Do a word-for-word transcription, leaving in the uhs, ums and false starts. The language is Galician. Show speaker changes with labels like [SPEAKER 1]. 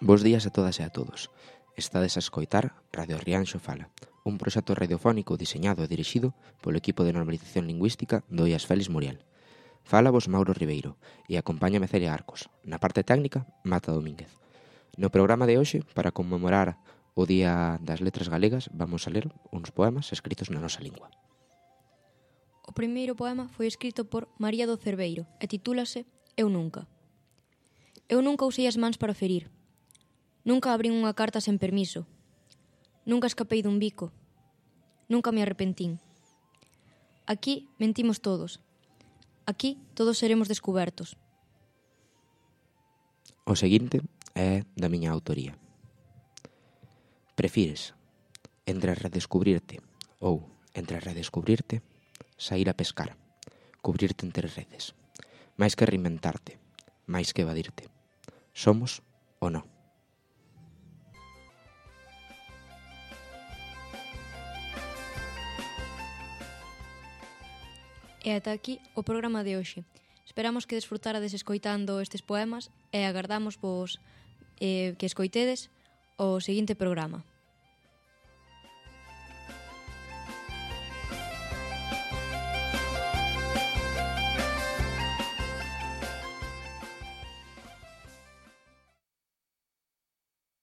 [SPEAKER 1] Bos días a todas e a todos. Estades a escoitar Radio Rianxo Fala, un proxecto radiofónico diseñado e dirixido polo equipo de normalización lingüística do I A S Félix Muriel. Fala vos Mauro Ribeiro e acompáñame Celia Arcos. Na parte técnica, Mata Domínguez. No programa de hoxe, para conmemorar o Día das Letras Galegas, vamos a ler uns poemas escritos na nosa lingua.
[SPEAKER 2] O primeiro poema foi escrito por María do Cerveiro e titúlase Eu nunca. Eu nunca usei as mans para ferir. Nunca abrín unha carta sen permiso. Nunca escapei dun bico. Nunca me arrepentín. Aquí mentimos todos. Aquí todos seremos descubertos.
[SPEAKER 1] O seguinte é da miña autoría. Prefires entre redescubrirte ou entre redescubrirte sair a pescar, cubrirte entre redes, máis que reinventarte, máis que evadirte. Somos ou non?
[SPEAKER 2] E ata aquí o programa de hoxe. Esperamos que desfrutarades escoitando estes poemas e agardamos vos eh, que escoitedes o seguinte programa.